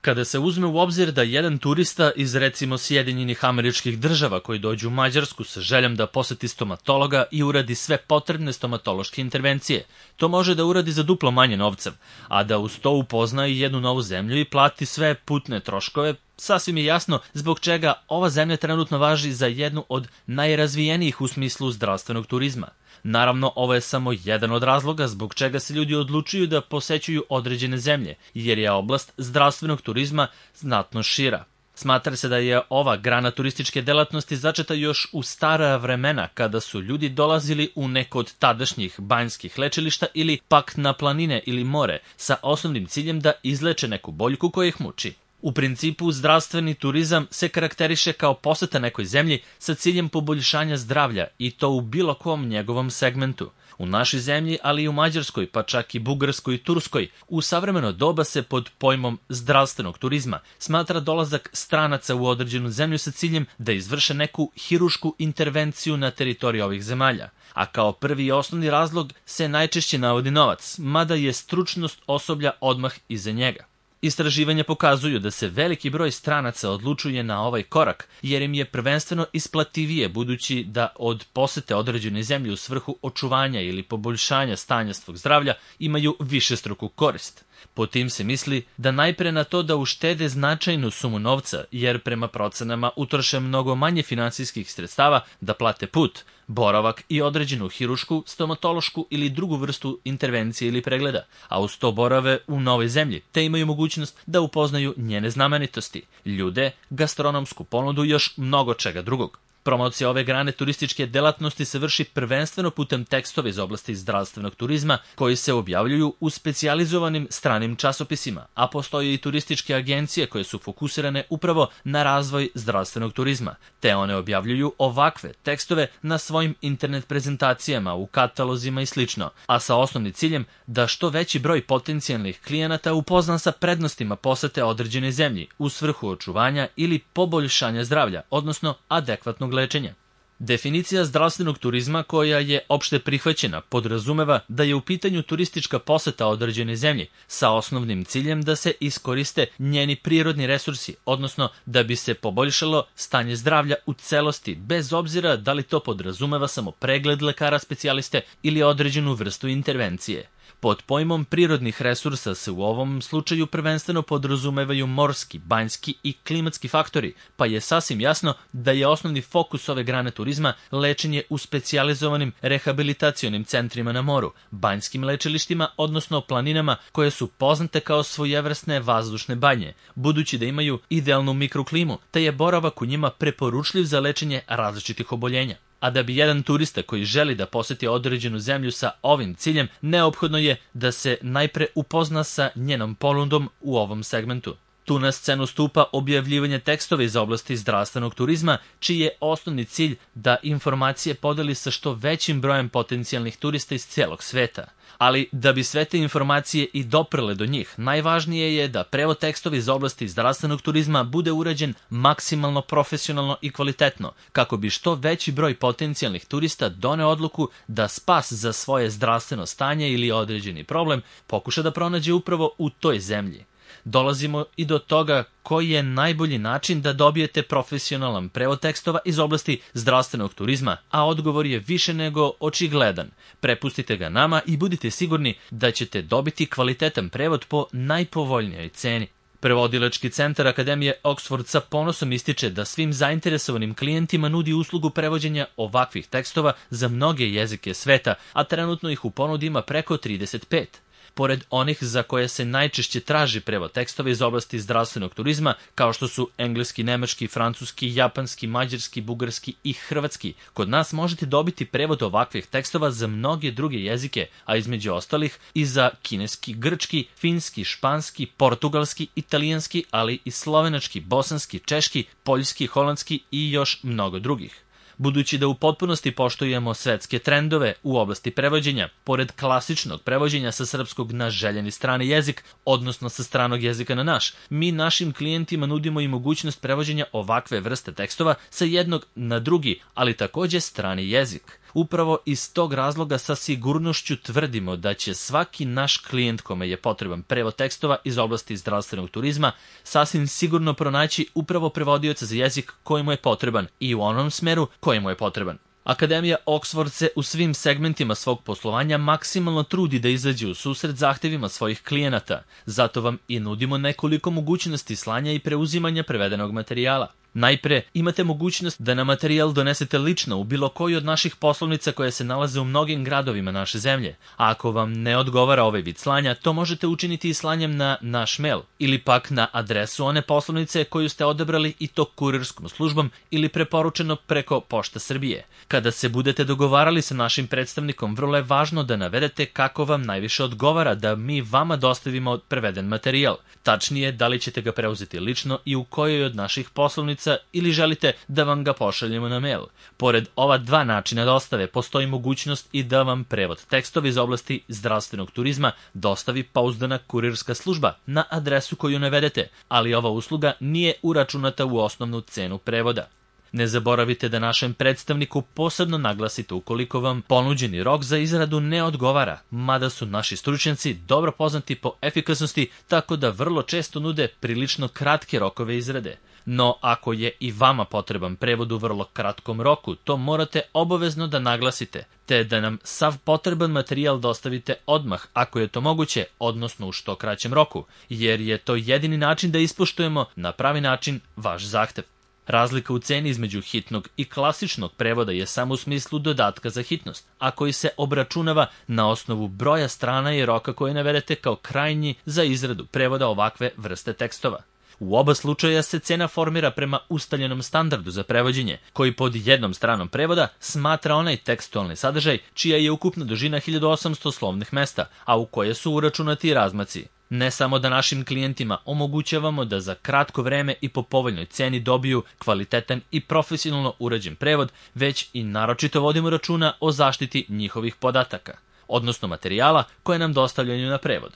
Kada se uzme u obzir da jedan turista iz recimo Sjedinjenih Američkih Država koji dođe u Mađarsku sa željom da poseti stomatologa i uradi sve potrebne stomatološke intervencije, to može da uradi za duplo manje novca, a da uz to upozna i jednu novu zemlju i plati sve putne troškove, sasvim je jasno zbog čega ova zemlja trenutno važi za jednu od najrazvijenijih u smislu zdravstvenog turizma. Naravno, ovo je samo jedan od razloga zbog čega se ljudi odlučuju da posećuju određene zemlje, jer je oblast zdravstvenog turizma znatno šira. Smatra se da je ova grana turističke delatnosti začeta još u stara vremena kada su ljudi dolazili u neko od tadašnjih banjskih lečilišta ili pak na planine ili more sa osnovnim ciljem da izleče neku boljku koja ih muči. U principu, zdravstveni turizam se karakteriše kao poseta nekoj zemlji sa ciljem poboljšanja zdravlja i to u bilo kom njegovom segmentu. U našoj zemlji, ali i u Mađarskoj, pa čak i Bugarskoj i Turskoj, u savremeno doba se pod pojmom zdravstvenog turizma smatra dolazak stranaca u određenu zemlju sa ciljem da izvrše neku hirušku intervenciju na teritoriji ovih zemalja. A kao prvi i osnovni razlog se najčešće navodi novac, mada je stručnost osoblja odmah iza njega. Istraživanja pokazuju da se veliki broj stranaca odlučuje na ovaj korak, jer im je prvenstveno isplativije budući da od posete određene zemlje u svrhu očuvanja ili poboljšanja stanja svog zdravlja imaju višestruku korist. Po tim se misli da najpre na to da uštede značajnu sumu novca, jer prema procenama utroše mnogo manje finansijskih sredstava da plate put, boravak i određenu hirušku, stomatološku ili drugu vrstu intervencije ili pregleda, a uz to borave u novoj zemlji, te imaju mogućnost da upoznaju njene znamenitosti, ljude, gastronomsku ponudu i još mnogo čega drugog. Promocija ove grane turističke delatnosti se vrši prvenstveno putem tekstova iz oblasti zdravstvenog turizma koji se objavljuju u specijalizovanim stranim časopisima, a postoje i turističke agencije koje su fokusirane upravo na razvoj zdravstvenog turizma, te one objavljuju ovakve tekstove na svojim internet prezentacijama, u katalozima i sl., a sa osnovnim ciljem da što veći broj potencijalnih klijenata upozna sa prednostima posete određene zemlji u svrhu očuvanja ili poboljšanja zdravlja, odnosno adekvatnog lečenja. Definicija zdravstvenog turizma koja je opšte prihvaćena podrazumeva da je u pitanju turistička poseta određene zemlji sa osnovnim ciljem da se iskoriste njeni prirodni resursi, odnosno da bi se poboljšalo stanje zdravlja u celosti, bez obzira da li to podrazumeva samo pregled lekara specijaliste ili određenu vrstu intervencije. Pod pojmom prirodnih resursa se u ovom slučaju prvenstveno podrazumevaju morski, banjski i klimatski faktori, pa je sasvim jasno da je osnovni fokus ove grane turizma lečenje u specijalizovanim rehabilitacionim centrima na moru, banjskim lečilištima, odnosno planinama koje su poznate kao svojevrsne vazdušne banje, budući da imaju idealnu mikroklimu, te je boravak u njima preporučljiv za lečenje različitih oboljenja. A da bi jedan turista koji želi da poseti određenu zemlju sa ovim ciljem, neophodno je da se najpre upozna sa njenom ponudom u ovom segmentu. Tu na scenu stupa objavljivanje tekstova iz oblasti zdravstvenog turizma, čiji je osnovni cilj da informacije podeli sa što većim brojem potencijalnih turista iz celog sveta. Ali da bi sve te informacije i doprele do njih, najvažnije je da prevod tekstova iz oblasti zdravstvenog turizma bude urađen maksimalno profesionalno i kvalitetno, kako bi što veći broj potencijalnih turista doneo odluku da spas za svoje zdravstveno stanje ili određeni problem pokuša da pronađe upravo u toj zemlji. Dolazimo i do toga koji je najbolji način da dobijete profesionalan prevod tekstova iz oblasti zdravstvenog turizma, a odgovor je više nego očigledan. Prepustite ga nama i budite sigurni da ćete dobiti kvalitetan prevod po najpovoljnijoj ceni. Prevodilački centar Akademije Oxford sa ponosom ističe da svim zainteresovanim klijentima nudi uslugu prevođenja ovakvih tekstova za mnoge jezike sveta, a trenutno ih u ponudi ima preko 35. Pored onih za koje se najčešće traži prevod tekstova iz oblasti zdravstvenog turizma, kao što su engleski, nemački, francuski, japanski, mađarski, bugarski i hrvatski, kod nas možete dobiti prevod ovakvih tekstova za mnoge druge jezike, a između ostalih i za kineski, grčki, finski, španski, portugalski, italijanski, ali i slovenački, bosanski, češki, poljski, holandski i još mnogo drugih. Budući da u potpunosti poštujemo svetske trendove u oblasti prevođenja, pored klasičnog prevođenja sa srpskog na željeni strani jezik, odnosno sa stranog jezika na naš, mi našim klijentima nudimo i mogućnost prevođenja ovakve vrste tekstova sa jednog na drugi, ali takođe strani jezik. Upravo iz tog razloga sa sigurnošću tvrdimo da će svaki naš klijent kome je potreban prevod tekstova iz oblasti zdravstvenog turizma sasvim sigurno pronaći upravo prevodioca za jezik koji mu je potreban i u onom smeru koji mu je potreban. Akademija Oxford se u svim segmentima svog poslovanja maksimalno trudi da izađe u susret zahtevima svojih klijenata, zato vam i nudimo nekoliko mogućnosti slanja i preuzimanja prevedenog materijala. Najpre, imate mogućnost da na materijal donesete lično u bilo koju od naših poslovnica koje se nalaze u mnogim gradovima naše zemlje. A ako vam ne odgovara ovaj vid slanja, to možete učiniti i slanjem na naš mail ili pak na adresu one poslovnice koju ste odabrali i to kurirskom službom ili preporučeno preko Pošta Srbije. Kada se budete dogovarali sa našim predstavnikom, vrlo je važno da navedete kako vam najviše odgovara da mi vama dostavimo preveden materijal. Tačnije, da li ćete ga preuzeti lično i u kojoj od naših poslovnica ili želite da vam ga pošaljemo na mail. Pored ova dva načina dostave, postoji mogućnost i da vam prevod tekstova iz oblasti zdravstvenog turizma dostavi pouzdana kurirska služba na adresu koju navedete, ali ova usluga nije uračunata u osnovnu cenu prevoda. Ne zaboravite da našem predstavniku posebno naglasite ukoliko vam ponuđeni rok za izradu ne odgovara, mada su naši stručnjaci dobro poznati po efikasnosti, tako da vrlo često nude prilično kratke rokove izrade. No, ako je i vama potreban prevod u vrlo kratkom roku, to morate obavezno da naglasite, te da nam sav potreban materijal dostavite odmah, ako je to moguće, odnosno u što kraćem roku, jer je to jedini način da ispoštujemo na pravi način vaš zahtev. Razlika u ceni između hitnog i klasičnog prevoda je samo u smislu dodatka za hitnost, a koji se obračunava na osnovu broja strana i roka koje navedete kao krajnji za izradu prevoda ovakve vrste tekstova. U oba slučaja se cena formira prema ustaljenom standardu za prevođenje, koji pod jednom stranom prevoda smatra onaj tekstualni sadržaj čija je ukupna dužina 1800 slovnih mesta, a u koje su uračunati razmaci. Ne samo da našim klijentima omogućavamo da za kratko vreme i po povoljnoj ceni dobiju kvalitetan i profesionalno urađen prevod, već i naročito vodimo računa o zaštiti njihovih podataka, odnosno materijala koje nam dostavljaju na prevod.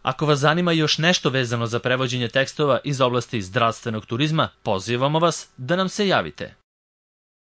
Ako vas zanima još nešto vezano za prevođenje tekstova iz oblasti zdravstvenog turizma, pozivamo vas da nam se javite.